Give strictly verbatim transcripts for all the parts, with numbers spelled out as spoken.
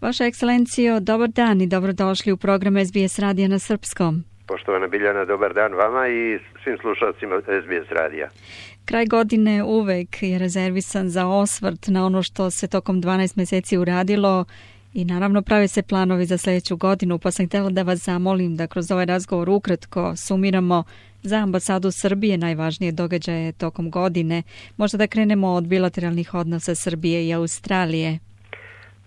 Vaša ekscelencijo, dobar dan i dobrodošli u program S B S radija na srpskom. Poštovana Biljana, dobar dan vama i svim slušalcima S B S radija. Kraj godine uvek je rezervisan za osvrt na ono što se tokom dvanaest mjeseci uradilo i naravno prave se planovi za sljedeću godinu, pa sam htjela da vas zamolim da kroz ovaj razgovor ukratko sumiramo za ambasadu Srbije najvažnije događaje tokom godine. Možda da krenemo od bilateralnih odnosa Srbije i Australije.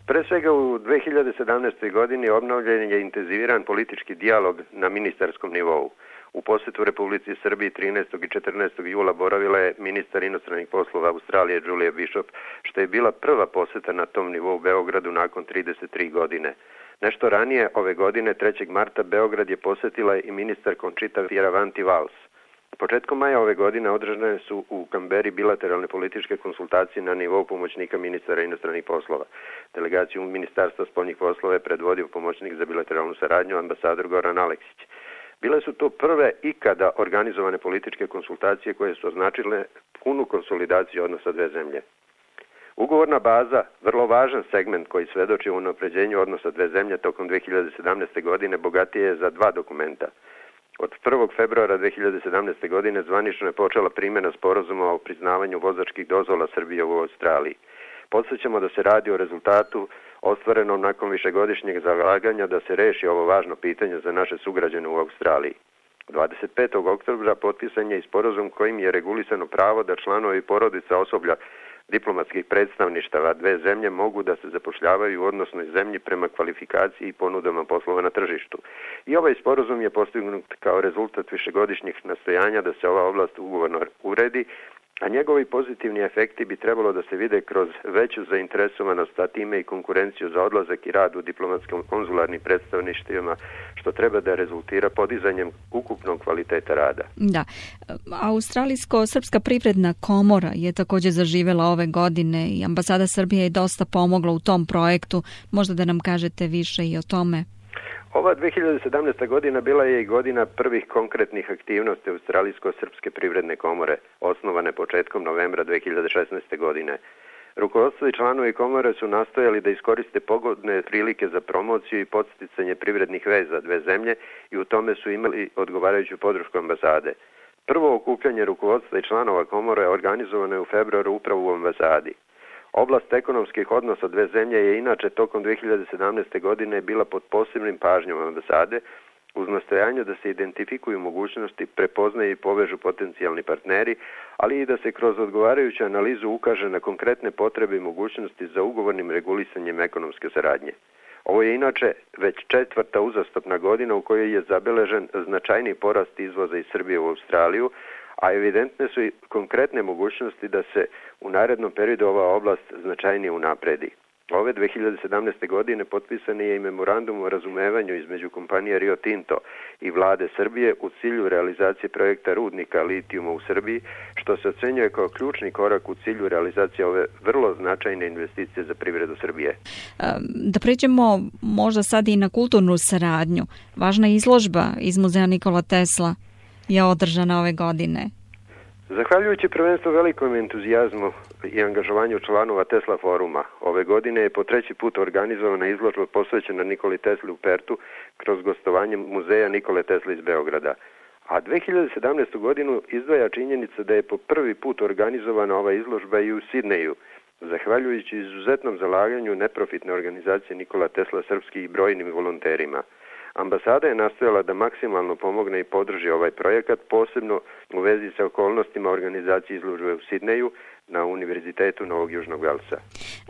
Pre svega u dve hiljade sedamnaestoj. godini obnovljen je intenziviran politički dijalog na ministarskom nivou. U posjetu Republici Srbiji trinaestog i četrnaestog jula boravila je ministar inostranih poslova Australije Julia Bishop, što je bila prva posjeta na tom nivou Beogradu nakon trideset tri godine. Nešto ranije ove godine, trećeg marta, Beograd je posjetila i ministar Conchita Fierravanti-Vals. Početkom maja ove godine održane su u Kamberi bilateralne političke konsultacije na nivou pomoćnika ministara inostranih poslova. Delegaciju Ministarstva spoljnih poslova je predvodio pomoćnik za bilateralnu saradnju ambasador Goran Aleksić. Bile su to prve ikada organizovane političke konsultacije koje su označile punu konsolidaciju odnosa dve zemlje. Ugovorna baza, vrlo važan segment koji svedoči o unapređenju odnosa dve zemlje tokom dve hiljade sedamnaeste. godine, bogatije je za dva dokumenta. Od prvog februara dve hiljade sedamnaeste. godine zvanično je počela primjena sporazuma o priznavanju vozačkih dozvola Srbije u Australiji. Podsjećamo da se radi o rezultatu ostvarenom nakon višegodišnjeg zalaganja da se reši ovo važno pitanje za naše sugrađane u Australiji. dvadeset petog oktobra potpisan je i sporazum kojim je regulisano pravo da članovi porodica osoblja diplomatskih predstavništava dve zemlje mogu da se zapošljavaju u odnosnoj zemlji prema kvalifikaciji i ponudama poslova na tržištu. I ovaj sporazum je postignut kao rezultat višegodišnjih nastojanja da se ova oblast ugovorno uredi, a njegovi pozitivni efekti bi trebalo da se vide kroz veću zainteresovanost, a time i konkurenciju za odlazak i rad u diplomatskim konzularnim predstavništvima, što treba da rezultira podizanjem ukupnog kvaliteta rada. Da. Australijsko-srpska privredna komora je također zaživjela ove godine i ambasada Srbije je dosta pomogla u tom projektu. Možda da nam kažete više i o tome. Ova dve hiljade sedamnaesta. godina bila je i godina prvih konkretnih aktivnosti Australijsko-srpske privredne komore, osnovane početkom novembra dve hiljade šesnaeste. godine. Rukovodstvo i članovi komore su nastojali da iskoriste pogodne prilike za promociju i podsticanje privrednih veza dve zemlje i u tome su imali odgovarajuću podršku ambasade. Prvo okupljanje rukovodstva i članova komore organizovano je u februaru upravo u ambasadi. Oblast ekonomskih odnosa dve zemlje je inače tokom dve hiljade sedamnaeste. godine bila pod posebnim pažnjom ambasade uz nastojanje da se identifikuju mogućnosti, prepoznaju i povežu potencijalni partneri, ali i da se kroz odgovarajuću analizu ukaže na konkretne potrebe i mogućnosti za ugovornim regulisanjem ekonomske saradnje. Ovo je inače već četvrta uzastopna godina u kojoj je zabeležen značajni porast izvoza iz Srbije u Australiju, a evidentne su i konkretne mogućnosti da se u narednom periodu ova oblast značajnije unapredi. Ove dve hiljade sedamnaeste. godine potpisan je i memorandum o razumevanju između kompanije Rio Tinto i vlade Srbije u cilju realizacije projekta rudnika litijuma u Srbiji, što se ocenjuje kao ključni korak u cilju realizacije ove vrlo značajne investicije za privredu Srbije. Da pređemo možda sad i na kulturnu saradnju. Važna izložba iz muzeja Nikola Tesla je održana ove godine. Zahvaljujući prvenstvo velikom entuzijazmu i angažovanju članova Tesla foruma, ove godine je po treći put organizovana izložba posvećena Nikoli Tesli u Pertu kroz gostovanje muzeja Nikole Tesla iz Beograda. A dve hiljade sedamnaestu. godinu izdvaja činjenica da je po prvi put organizovana ova izložba i u Sidneju, zahvaljujući izuzetnom zalaganju neprofitne organizacije Nikola Tesla Srpski i brojnim volonterima. Ambasada je nastojala da maksimalno pomogne i podrži ovaj projekat, posebno u vezi sa okolnostima organizacije izložbe u Sidneju na Univerzitetu Novog Južnog Velsa.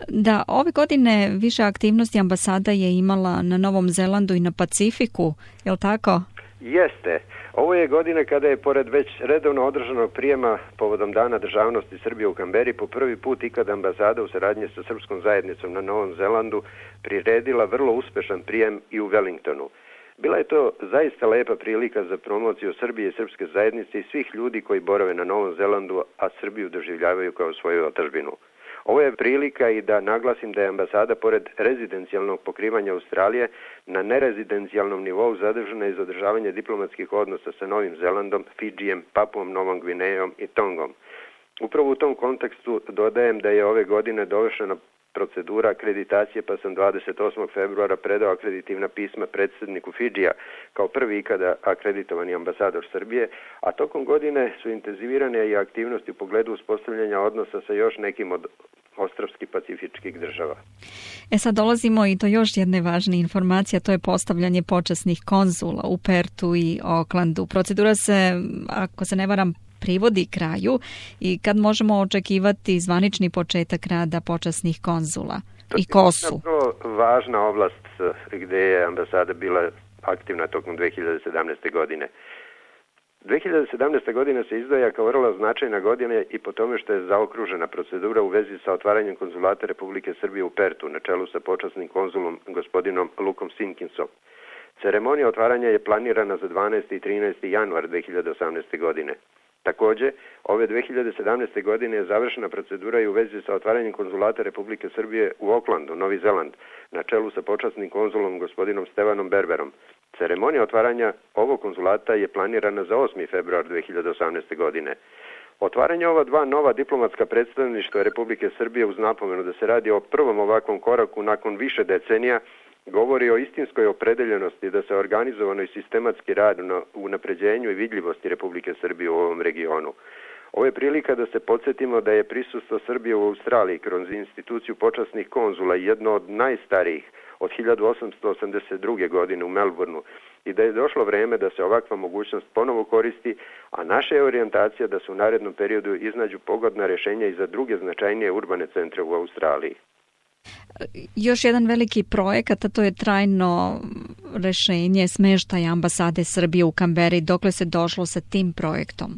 Da, ove godine više aktivnosti ambasada je imala na Novom Zelandu i na Pacifiku, je li tako? Jeste. Ovo je godina kada je pored već redovno održanog prijema povodom Dana državnosti Srbije u Kamberi po prvi put ikada ambasada u saradnji sa srpskom zajednicom na Novom Zelandu priredila vrlo uspešan prijem i u Wellingtonu. Bila je to zaista lepa prilika za promociju Srbije i srpske zajednice i svih ljudi koji borave na Novom Zelandu, a Srbiju doživljavaju kao svoju otadžbinu. Ovo je prilika i da naglasim da je ambasada pored rezidencijalnog pokrivanja Australije na nerezidencijalnom nivou zadržana i za održavanje diplomatskih odnosa sa Novim Zelandom, Fidžijem, Papuom, Novom Gvinejom i Tongom. Upravo u tom kontekstu dodajem da je ove godine dovršena procedura akreditacije, pa sam dvadeset osmog februara predao akreditivna pisma predsjedniku Fidžija kao prvi ikada akreditovani ambasador Srbije, a tokom godine su intenzivirane i aktivnosti u pogledu uspostavljanja odnosa sa još nekim od ostrvskih pacifičkih država. E sad dolazimo i do još jedne važne informacije, to je postavljanje počasnih konzula u Pertu i Aucklandu. Procedura se, ako se ne varam, privodi kraju i kad možemo očekivati zvanični početak rada počasnih konzula i ko su? To je vrlo važna oblast gdje je ambasada bila aktivna tokom dve hiljade sedamnaeste. godine. dve hiljade sedamnaesta. godina se izdvaja kao vrlo značajna godina i po tome što je zaokružena procedura u vezi sa otvaranjem konzulata Republike Srbije u Pertu na čelu sa počasnim konzulom gospodinom Lukom Sinkinsom. Ceremonija otvaranja je planirana za dvanaesti i trinaesti januar dve hiljade osamnaeste. godine. Također, ove dve hiljade sedamnaeste. godine je završena procedura i u vezi sa otvaranjem konzulata Republike Srbije u Aucklandu, Novi Zeland, na čelu sa počasnim konzulom gospodinom Stevanom Berberom. Ceremonija otvaranja ovog konzulata je planirana za osmi februar dve hiljade osamnaeste. godine. Otvaranje ova dva nova diplomatska predstavništva Republike Srbije uz napomenu da se radi o prvom ovakvom koraku nakon više decenija govori o istinskoj opredeljenosti da se organizovano i sistematski radi na unapređenju i vidljivosti Republike Srbije u ovom regionu. Ovo je prilika da se podsjetimo da je prisustvo Srbije u Australiji kroz instituciju počasnih konzula jedno od najstarijih od hiljadu osamsto osamdeset druge. godine u Melbourneu i da je došlo vreme da se ovakva mogućnost ponovo koristi, a naša je orijentacija da se u narednom periodu iznađu pogodna rješenja i za druge značajnije urbane centre u Australiji. Još jedan veliki projekat, a to je trajno rješenje smještaja ambasade Srbije u Kamberi. Dokle se došlo sa tim projektom?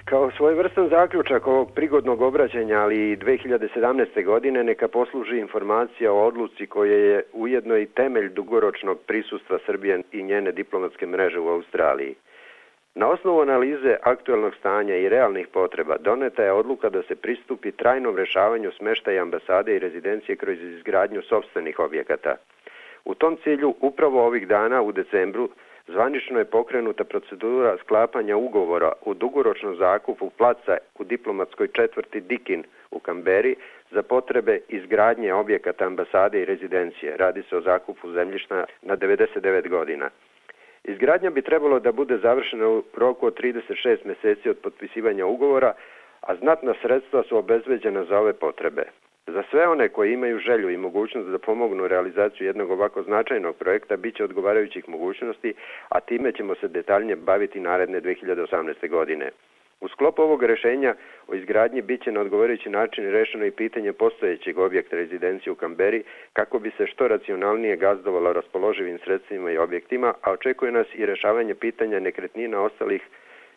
Kao svojevrstan zaključak ovog prigodnog obraćanja, ali i dve hiljade sedamnaeste. godine, neka posluži informacija o odluci koja je ujedno i temelj dugoročnog prisustva Srbije i njene diplomatske mreže u Australiji. Na osnovu analize aktuelnog stanja i realnih potreba doneta je odluka da se pristupi trajnom rješavanju smještaja ambasade i rezidencije kroz izgradnju sopstvenih objekata. U tom cilju upravo ovih dana u decembru zvanično je pokrenuta procedura sklapanja ugovora u dugoročnom zakupu placa u diplomatskoj četvrti Dikin u Kamberi za potrebe izgradnje objekata ambasade i rezidencije. Radi se o zakupu zemljišta na devedeset devet godina. Izgradnja bi trebalo da bude završena u roku od trideset šest mjeseci od potpisivanja ugovora, a znatna sredstva su obezbeđena za ove potrebe. Za sve one koji imaju želju i mogućnost da pomognu realizaciju jednog ovako značajnog projekta bit će odgovarajućih mogućnosti, a time ćemo se detaljnije baviti naredne dve hiljade osamnaeste. godine. U sklopu ovog rješenja o izgradnji bit će na odgovarajući način rešeno i pitanje postojećeg objekta rezidencije u Kamberi kako bi se što racionalnije gazdovalo raspoloživim sredstvima i objektima, a očekuje nas i rješavanje pitanja nekretnina ostalih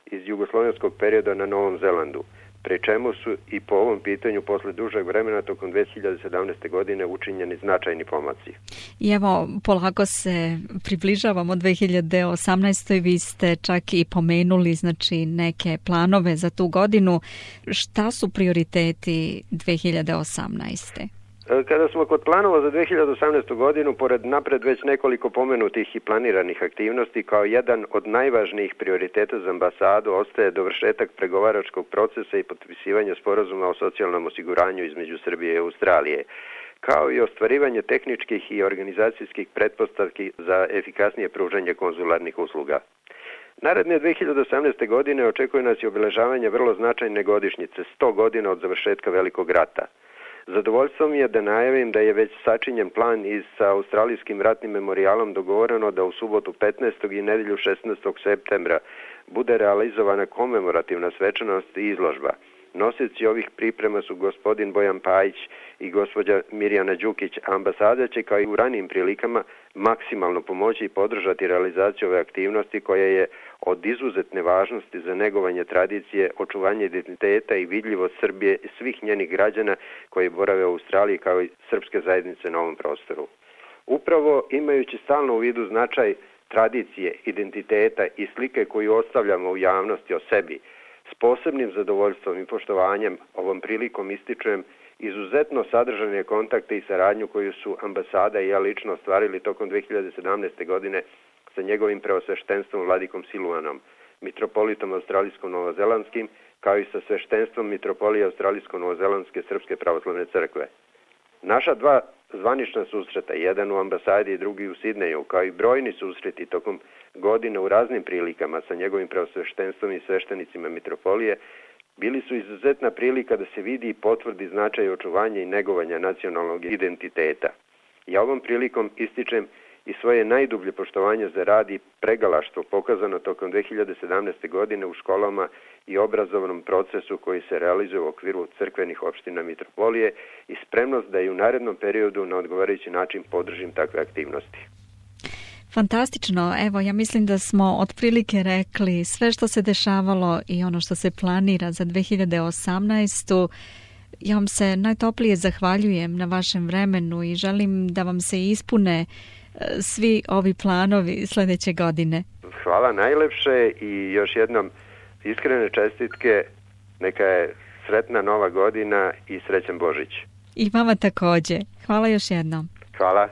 iz jugoslovenskog perioda na Novom Zelandu, pri čemu su i po ovom pitanju posle dužeg vremena tokom dve hiljade sedamnaeste. godine učinjeni značajni pomaci. I evo, polako se približavamo dve hiljade osamnaestoj. Vi ste čak i pomenuli znači neke planove za tu godinu. Šta su prioriteti dve hiljade osamnaeste? Kada smo kod planova za dve hiljade osamnaestu. godinu, pored napred već nekoliko pomenutih i planiranih aktivnosti, kao jedan od najvažnijih prioriteta za ambasadu ostaje dovršetak pregovaračkog procesa i potpisivanje sporazuma o socijalnom osiguranju između Srbije i Australije, kao i ostvarivanje tehničkih i organizacijskih pretpostavki za efikasnije pružanje konzularnih usluga. Naredne dve hiljade osamnaeste. godine očekuje nas i obeležavanje vrlo značajne godišnjice, sto godina od završetka Velikog rata. Zadovoljstvo mi je da najavim da je već sačinjen plan i sa Australijskim ratnim memorijalom dogovoreno da u subotu petnaestog i nedjelju šesnaestog septembra bude realizovana komemorativna svečanost i izložba. Nosioci ovih priprema su gospodin Bojan Pajić i gospođa Mirjana Đukić. Ambasada će kao i u ranijim prilikama maksimalno pomoći i podržati realizaciju ove aktivnosti koja je od izuzetne važnosti za negovanje tradicije, očuvanje identiteta i vidljivost Srbije i svih njenih građana koji borave u Australiji kao i srpske zajednice na ovom prostoru. Upravo imajući stalno u vidu značaj tradicije, identiteta i slike koju ostavljamo u javnosti o sebi, s posebnim zadovoljstvom i poštovanjem ovom prilikom ističujem izuzetno sadržane kontakte i saradnju koju su ambasada i ja lično ostvarili tokom dve hiljade sedamnaeste. godine sa njegovim preosveštenstvom Vladikom Siluanom, mitropolitom australijsko-novozelandskim, kao i sa sveštenstvom mitropolije australijsko-novozelandske Srpske pravoslavne crkve. Naša dva zvanična susreta, jedan u ambasadi i drugi u Sidneju, kao i brojni susreti tokom godine u raznim prilikama sa njegovim preosveštenstvom i sveštenicima mitropolije, bili su izuzetna prilika da se vidi i potvrdi značaj očuvanja i negovanja nacionalnog identiteta. Ja ovom prilikom ističem i svoje najdublje poštovanje za rad i pregalaštvo pokazano tokom dve hiljade sedamnaeste. godine u školama i obrazovnom procesu koji se realizuje u okviru crkvenih opština mitropolije i spremnost da i u narednom periodu na odgovarajući način podržim takve aktivnosti. Fantastično. Evo, ja mislim da smo otprilike rekli sve što se dešavalo i ono što se planira za dve hiljade osamnaestu. Ja vam se najtoplije zahvaljujem na vašem vremenu i želim da vam se ispune svi ovi planovi sljedeće godine. Hvala najlepše i još jednom iskrene čestitke. Neka je sretna nova godina i srećan Božić. I vama također. Hvala još jednom. Hvala.